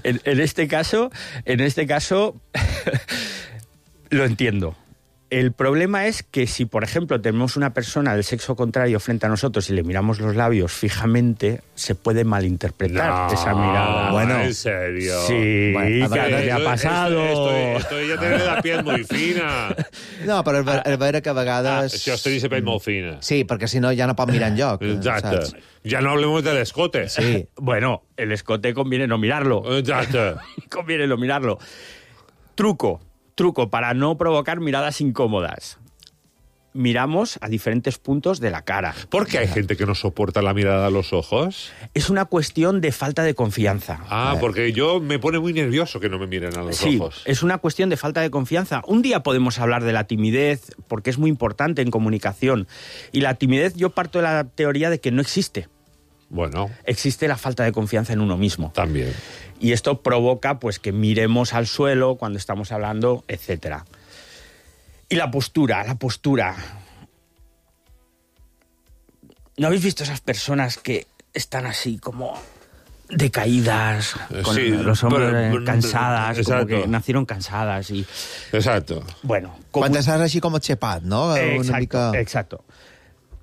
en este caso lo entiendo. El problema es que si, por ejemplo, tenemos una persona del sexo contrario frente a nosotros y le miramos los labios fijamente, se puede malinterpretar esa mirada. Bueno, ¿en serio? Sí, bueno, ¿qué ha pasado? Esto ya tiene la piel muy fina. No, però és vera que a vegades... Això estoy la piel molt fina. Sí, perquè si no ja no pot mirar enlloc. Exacte. Saps? Ya no hablemos del escote. Sí. Bueno, el escote conviene no mirarlo. Exacto. Conviene no mirarlo. Truco para no provocar miradas incómodas. Miramos a diferentes puntos de la cara. ¿Por qué hay gente que no soporta la mirada a los ojos? Es una cuestión de falta de confianza. Porque yo me pone muy nervioso que no me miren a los ojos. Sí, es una cuestión de falta de confianza. Un día podemos hablar de la timidez, porque es muy importante en comunicación. Y la timidez, yo parto de la teoría de que no existe. Bueno. Existe la falta de confianza en uno mismo. También. Y esto provoca pues que miremos al suelo cuando estamos hablando, etcétera. Y la postura. ¿No habéis visto esas personas que están así como decaídas, con los hombros cansadas, exacto, como que nacieron cansadas? Y... Exacto. Bueno. Quan estàs així com aixepat, no? Exacto.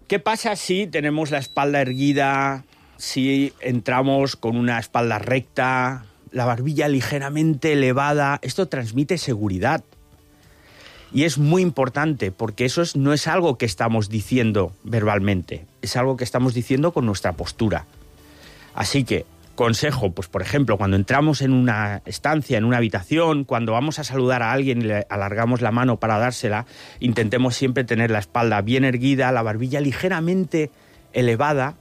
¿Qué pasa si tenemos la espalda erguida, si entramos con una espalda recta, la barbilla ligeramente elevada? Esto transmite seguridad. Y es muy importante, porque eso no es algo que estamos diciendo verbalmente, es algo que estamos diciendo con nuestra postura. Así que, consejo, pues por ejemplo, cuando entramos en una estancia, en una habitación, cuando vamos a saludar a alguien y le alargamos la mano para dársela, intentemos siempre tener la espalda bien erguida, la barbilla ligeramente elevada,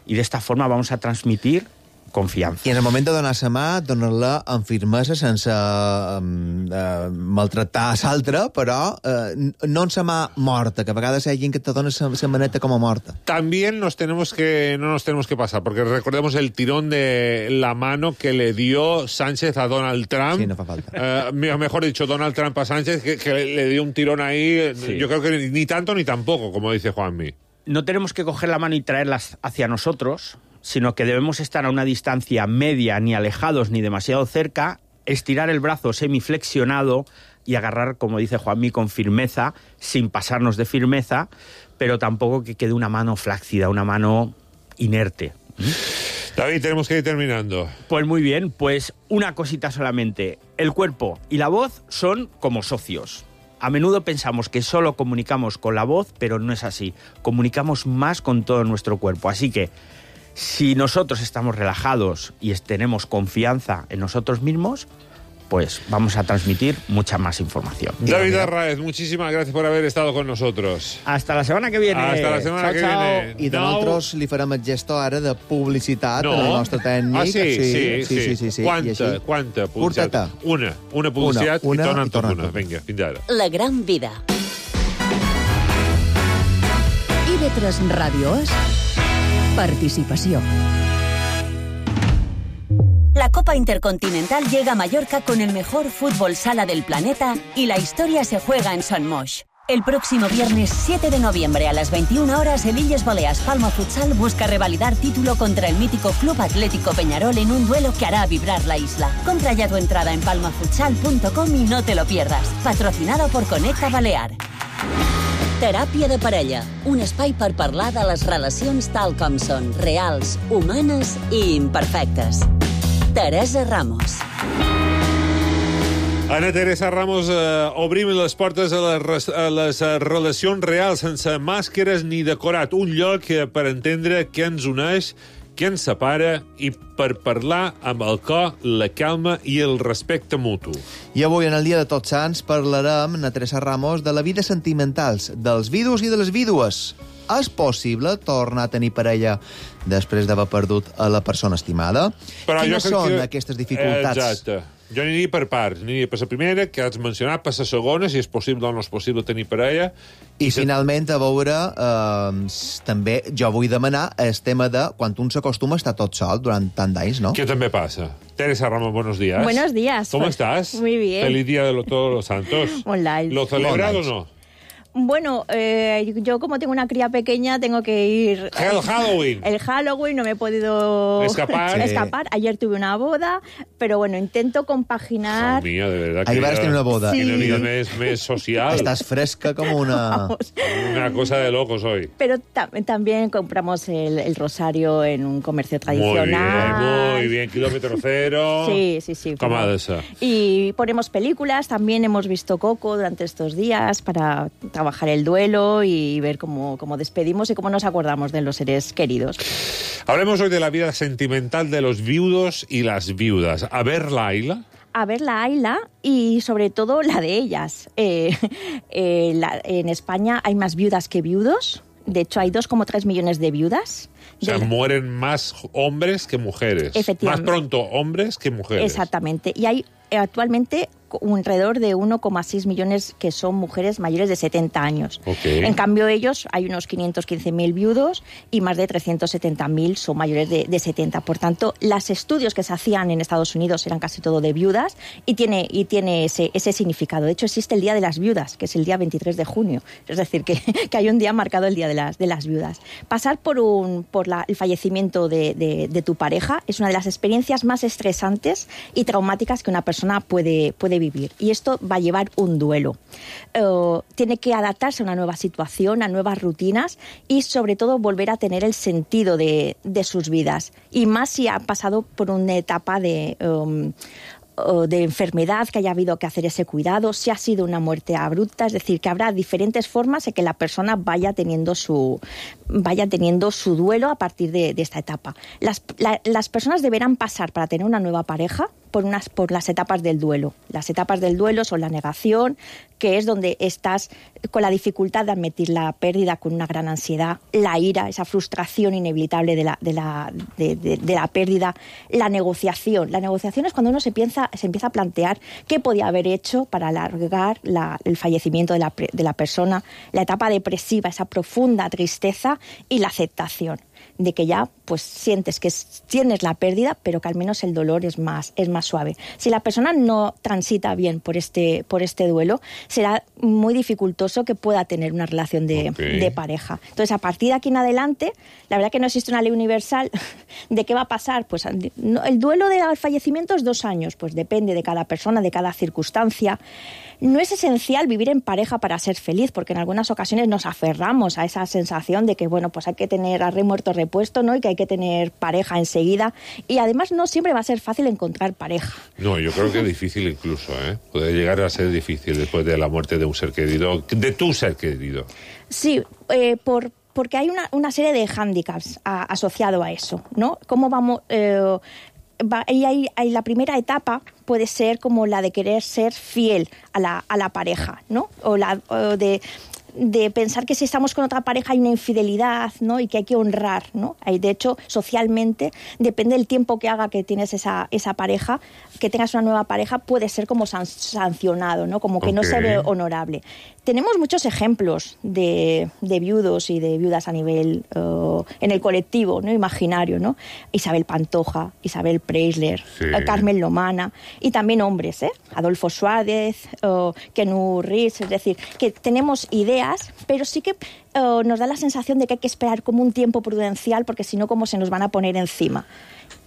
y de esta forma vamos a transmitir confiança. I en el moment de donar la mà, donar-la amb firmesa, sense maltractar l'altre, però no amb la mà morta, que a vegades hi ha gent que te dona la maneta com a morta. También no nos tenemos que pasar, porque recordemos el tirón de la mano que le dio Sánchez a Donald Trump. Sí, no fa falta. Mejor dicho, Donald Trump a Sánchez, que le dio un tirón ahí. Sí. Yo creo que ni tanto ni tampoco, como dice Juanmi. No tenemos que coger la mano y traerla hacia nosotros, sino que debemos estar a una distancia media, ni alejados ni demasiado cerca, estirar el brazo semiflexionado y agarrar, como dice Juanmi, con firmeza, sin pasarnos de firmeza, pero tampoco que quede una mano flácida, una mano inerte. David, tenemos que ir terminando. Pues muy bien, pues una cosita solamente. El cuerpo y la voz son como socios. A menudo pensamos que solo comunicamos con la voz, pero no es así. Comunicamos más con todo nuestro cuerpo. Así que, si nosotros estamos relajados y tenemos confianza en nosotros mismos, pues vamos a transmitir mucha más información. David Arraez, muchísimas gracias por haber estado con nosotros. Hasta la semana que viene. Hasta la setmana que viene. I de nosaltres li farem el gesto ara de publicitat No. al nostre tècnic. Ah, sí. I així, Quanta publicitat? Curteta. Una publicitat Una, i torna i torna una. amb una. Vinga, fins ara. La gran vida. IB3 Ràdio És participació. La Copa Intercontinental llega a Mallorca con el mejor fútbol sala del planeta y la historia se juega en Son Moix. El próximo viernes 7 de noviembre a las 21 horas, el Illes Balears Palma Futsal busca revalidar título contra el mítico Club Atlético Peñarol en un duelo que hará vibrar la isla. Compra ya tu entrada en palmafutsal.com y no te lo pierdas. Patrocinado por Conecta Balear. Teràpia de parella, un espai per parlar de les relacions tal com són, reals, humanes i imperfectes. Teresa Ramos. Ana Teresa Ramos, obrim les portes a les relacions reals, sense màscares ni decorat. Un lloc per entendre què ens uneix, què ens separa i per parlar amb el cor, la calma i el respecte mutu. I avui, en el Dia de Tots Sants, parlarem, Ana Teresa Ramos, de la vida sentimentals, dels vidus i de les vídues. És possible tornar a tenir parella després d'haver perdut a la persona estimada? Però Quines jo crec són que... aquestes dificultats? Exacte. Jo aniria per parts. Aniria per la primera, que has mencionat, per la segona, si és possible o no és possible tenir parella. I finalment, a veure, també jo vull demanar el tema de quan un s'acostuma a estar tot sol durant tant d'anys, no? ¿Qué también pasa? Teresa Ramos, buenos días. Buenos días. ¿Cómo Pues, estás? muy bien. Feliz Día de todos los santos. Online. ¿Lo celebras o no? Bueno, yo como tengo una cría pequeña tengo que ir... El Halloween. El Halloween no me he podido Escapar. escapar. Ayer tuve una boda, pero bueno, intento compaginar... Mía, de verdad que... Ahí vas a tener una boda. Sí. Una vida més social. Estás fresca como una... Vamos. Una cosa de locos hoy. Pero también compramos el rosario en un comercio tradicional. Muy bien. Kilómetro cero. Sí. Com ha de ser. Y ponemos películas, también hemos visto Coco durante estos días para trabajar el duelo y ver cómo despedimos y cómo nos acordamos de los seres queridos. Hablemos hoy de la vida sentimental de los viudos y las viudas. A ver, Laila. A ver la Ayla y sobre todo la de ellas. En España hay más viudas que viudos. De hecho, hay 2,3 millones de viudas. O sea, mueren más hombres que mujeres. Efectivamente. Más pronto hombres que mujeres. Exactamente. Y hay actualmente alrededor de 1,6 millones que son mujeres mayores de 70 años. Okay. En cambio, ellos, hay unos 515.000 viudos y más de 370.000 son mayores de 70. Por tanto, los estudios que se hacían en Estados Unidos eran casi todo de viudas y tiene ese significado. De hecho, existe el Día de las Viudas, que es el día 23 de junio. Es decir, que hay un día marcado el Día de las Viudas. Pasar por el fallecimiento de tu pareja es una de las experiencias más estresantes y traumáticas que una persona puede vivir. Y esto va a llevar un duelo. Tiene que adaptarse a una nueva situación, a nuevas rutinas y, sobre todo, volver a tener el sentido de sus vidas. Y más si ha pasado por una etapa de enfermedad, que haya habido que hacer ese cuidado, si ha sido una muerte abrupta, es decir, que habrá diferentes formas en que la persona vaya teniendo su duelo a partir de esta etapa. Las personas deberán pasar para tener una nueva pareja por las etapas del duelo. Las etapas del duelo son la negación, que es donde estás con la dificultad de admitir la pérdida, con una gran ansiedad, la ira, esa frustración inevitable de la pérdida, la negociación. La negociación es cuando uno se empieza a plantear qué podía haber hecho para alargar el fallecimiento de la persona, la etapa depresiva, esa profunda tristeza y la aceptación de que ya pues sientes que tienes la pérdida, pero que al menos el dolor es más suave. Si la persona no transita bien por este duelo, será muy dificultoso que pueda tener una relación de pareja. Entonces, a partir de aquí en adelante, la verdad que no existe una ley universal de qué va a pasar. Pues el duelo del fallecimiento es 2 años, pues depende de cada persona, de cada circunstancia. No es esencial vivir en pareja para ser feliz, porque en algunas ocasiones nos aferramos a esa sensación de que, bueno, pues hay que tener arre muerto repuesto, ¿no? Y que hay que tener pareja enseguida. Y además no siempre va a ser fácil encontrar pareja. No, yo creo que es difícil incluso, ¿eh? Puede llegar a ser difícil después de la muerte de un ser querido, de tu ser querido. Sí, porque hay una serie de hándicaps asociado a eso, ¿no? ¿Cómo vamos...? ahí la primera etapa puede ser como la de querer ser fiel a la pareja, ¿no? O de pensar que si estamos con otra pareja hay una infidelidad, ¿no? Y que hay que honrar, ¿no? De hecho, socialmente, depende del tiempo que haga que tienes esa pareja, que tengas una nueva pareja, puede ser como sancionado, ¿no? Como que no se ve honorable. Tenemos muchos ejemplos de viudos y de viudas a nivel en el colectivo, ¿no? Imaginario, ¿no? Isabel Pantoja, Isabel Preisler, Carmen Lomana, y también hombres, Adolfo Suárez, Kenu Reeves, es decir, que tenemos ideas, pero sí que nos da la sensación de que hay que esperar como un tiempo prudencial, porque si no, como se nos van a poner encima.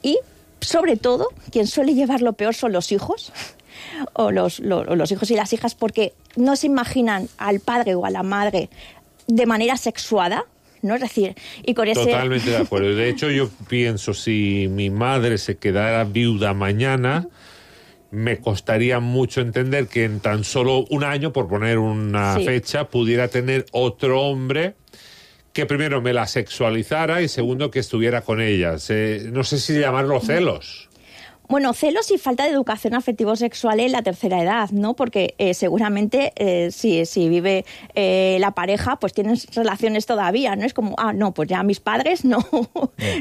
Y, sobre todo, quien suele llevar lo peor son los hijos, o los hijos y las hijas, porque no se imaginan al padre o a la madre de manera sexuada, ¿no? Es decir, y con ese... Totalmente de acuerdo. De hecho, yo pienso, si mi madre se quedara viuda mañana, me costaría mucho entender que en tan solo un año, por poner una fecha, pudiera tener otro hombre que primero me la sexualizara y segundo que estuviera con ella. No sé si llamarlo celos. Bueno, celos y falta de educación afectivo-sexual en la tercera edad, ¿no? Porque seguramente si vive la pareja, pues tienen relaciones todavía, ¿no? Es como, no, pues ya mis padres no.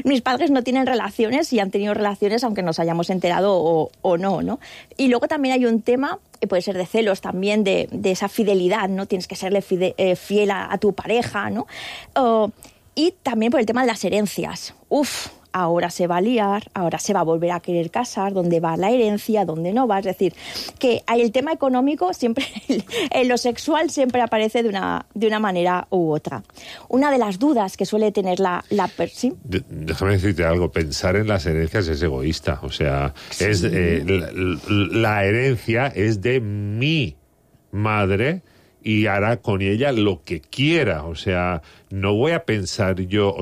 Mis padres no tienen relaciones y han tenido relaciones aunque nos hayamos enterado o no, ¿no? Y luego también hay un tema, puede ser de celos también, de esa fidelidad, ¿no? Tienes que serle fiel a tu pareja, ¿no? Y también por el tema de las herencias. Ahora se va a liar, ahora se va a volver a querer casar, dónde va la herencia, dónde no va. Es decir, que el tema económico siempre, en lo sexual siempre aparece de una manera u otra. Una de las dudas que suele tener ¿sí? Déjame decirte algo, pensar en las herencias es egoísta. O sea, sí. La herencia es de mi madre y hará con ella lo que quiera. O sea, no voy a pensar yo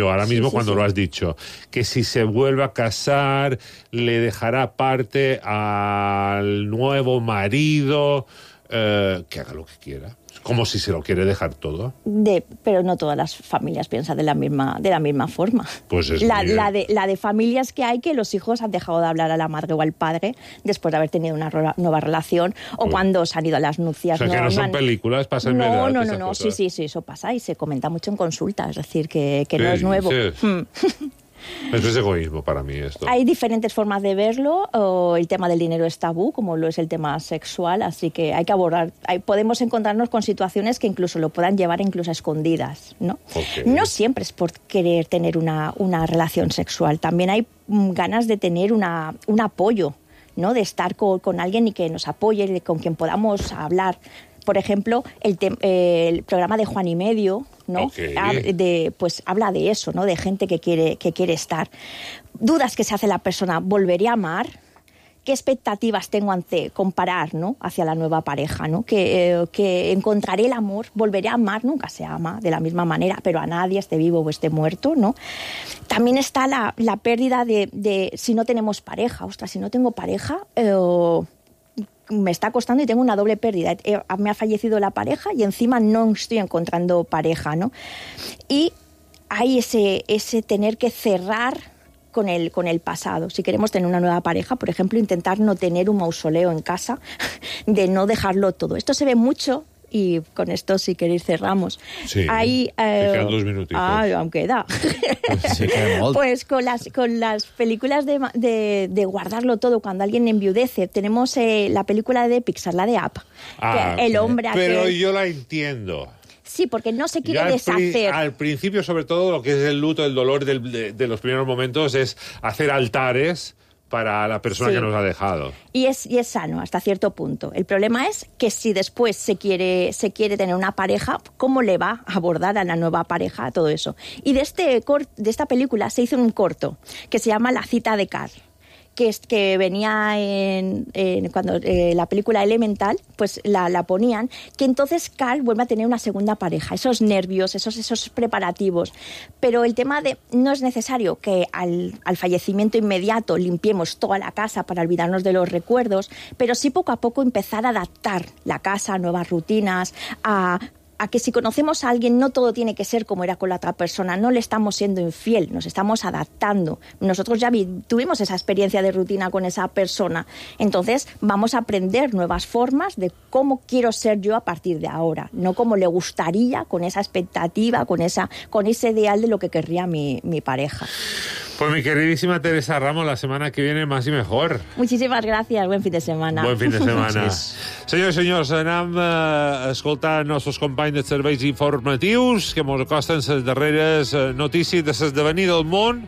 ahora mismo cuando lo has dicho, que si se vuelve a casar le dejará parte al nuevo marido, que haga lo que quiera. Como si se lo quiere dejar todo. Pero no todas las familias piensan de la misma forma. Pues es la de familias que hay que los hijos han dejado de hablar a la madre o al padre después de haber tenido una nueva relación o cuando se han ido a las nupcias. O sea, que no son películas, pasa en verdad. No, sí, eso pasa y se comenta mucho en consulta, es decir, que no es nuevo. Eso es egoísmo para mí, esto. Hay diferentes formas de verlo. El tema del dinero es tabú, como lo es el tema sexual, así que hay que abordar. Podemos encontrarnos con situaciones que incluso lo puedan llevar incluso a escondidas, ¿no? No siempre es por querer tener una relación sexual. También hay ganas de tener un apoyo, ¿no? De estar con alguien y que nos apoye, con quien podamos hablar. Por ejemplo, el programa de Juan y Medio, ¿no? Pues habla de eso, ¿no? De gente que quiere estar. Dudas que se hace la persona, ¿volveré a amar? ¿Qué expectativas tengo ante comparar, ¿no? Hacia la nueva pareja, ¿no? Que encontraré el amor, volveré a amar, nunca se ama de la misma manera, pero a nadie, esté vivo o esté muerto, ¿no? También está la pérdida de si no tenemos pareja. Ostras, si no tengo pareja, me está costando y tengo una doble pérdida. Me ha fallecido la pareja y encima no estoy encontrando pareja, ¿no? Y hay ese tener que cerrar con el pasado. Si queremos tener una nueva pareja, por ejemplo, intentar no tener un mausoleo en casa, de no dejarlo todo. Esto se ve mucho. Y con esto, si queréis, cerramos. Sí, te quedan 2 minutitos. Aún queda. Sí, queda pues con las películas de guardarlo todo, cuando alguien enviudece, tenemos la película de Pixar, la de Up. El hombre Pero yo la entiendo. Sí, porque no se quiere deshacer. Al principio, sobre todo, lo que es el luto, el dolor de los primeros momentos es hacer altares para la persona que nos ha dejado. Y es sano hasta cierto punto. El problema es que si después se quiere tener una pareja, ¿cómo le va a abordar a la nueva pareja todo eso? Y de esta película se hizo un corto que se llama La cita de Carl, que venía cuando la película Elemental, pues la ponían, que entonces Carl vuelve a tener una segunda pareja, esos nervios, esos preparativos. Pero el tema de no es necesario que al fallecimiento inmediato limpiemos toda la casa para olvidarnos de los recuerdos, pero sí poco a poco empezar a adaptar la casa a nuevas rutinas, a a que si conocemos a alguien no todo tiene que ser como era con la otra persona, no le estamos siendo infiel, nos estamos adaptando. Nosotros ya tuvimos esa experiencia de rutina con esa persona, entonces vamos a aprender nuevas formas de cómo quiero ser yo a partir de ahora, no como le gustaría, con esa expectativa, con ese ideal de lo que querría mi pareja. Pues mi queridísima Teresa Ramos, la semana que viene más y mejor. Muchísimas gracias, buen fin de semana. Buen fin de setmana. Senyors i senyors, anem a escoltar els nostres companys dels serveis informatius que ens acosten les darreres notícies de l'esdevenir del món,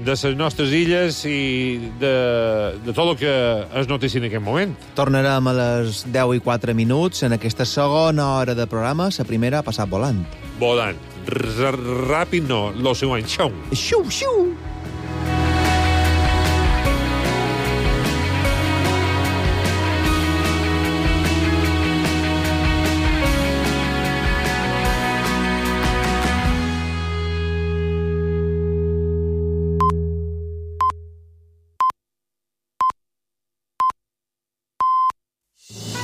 de les nostres illes i de tot el que és notícia en aquest moment. Tornarem a les 10:04 en aquesta segona hora de programa. La primera ha passat volant. Volant. Ràpid no, lo següent. Xau. Xiu, xiu.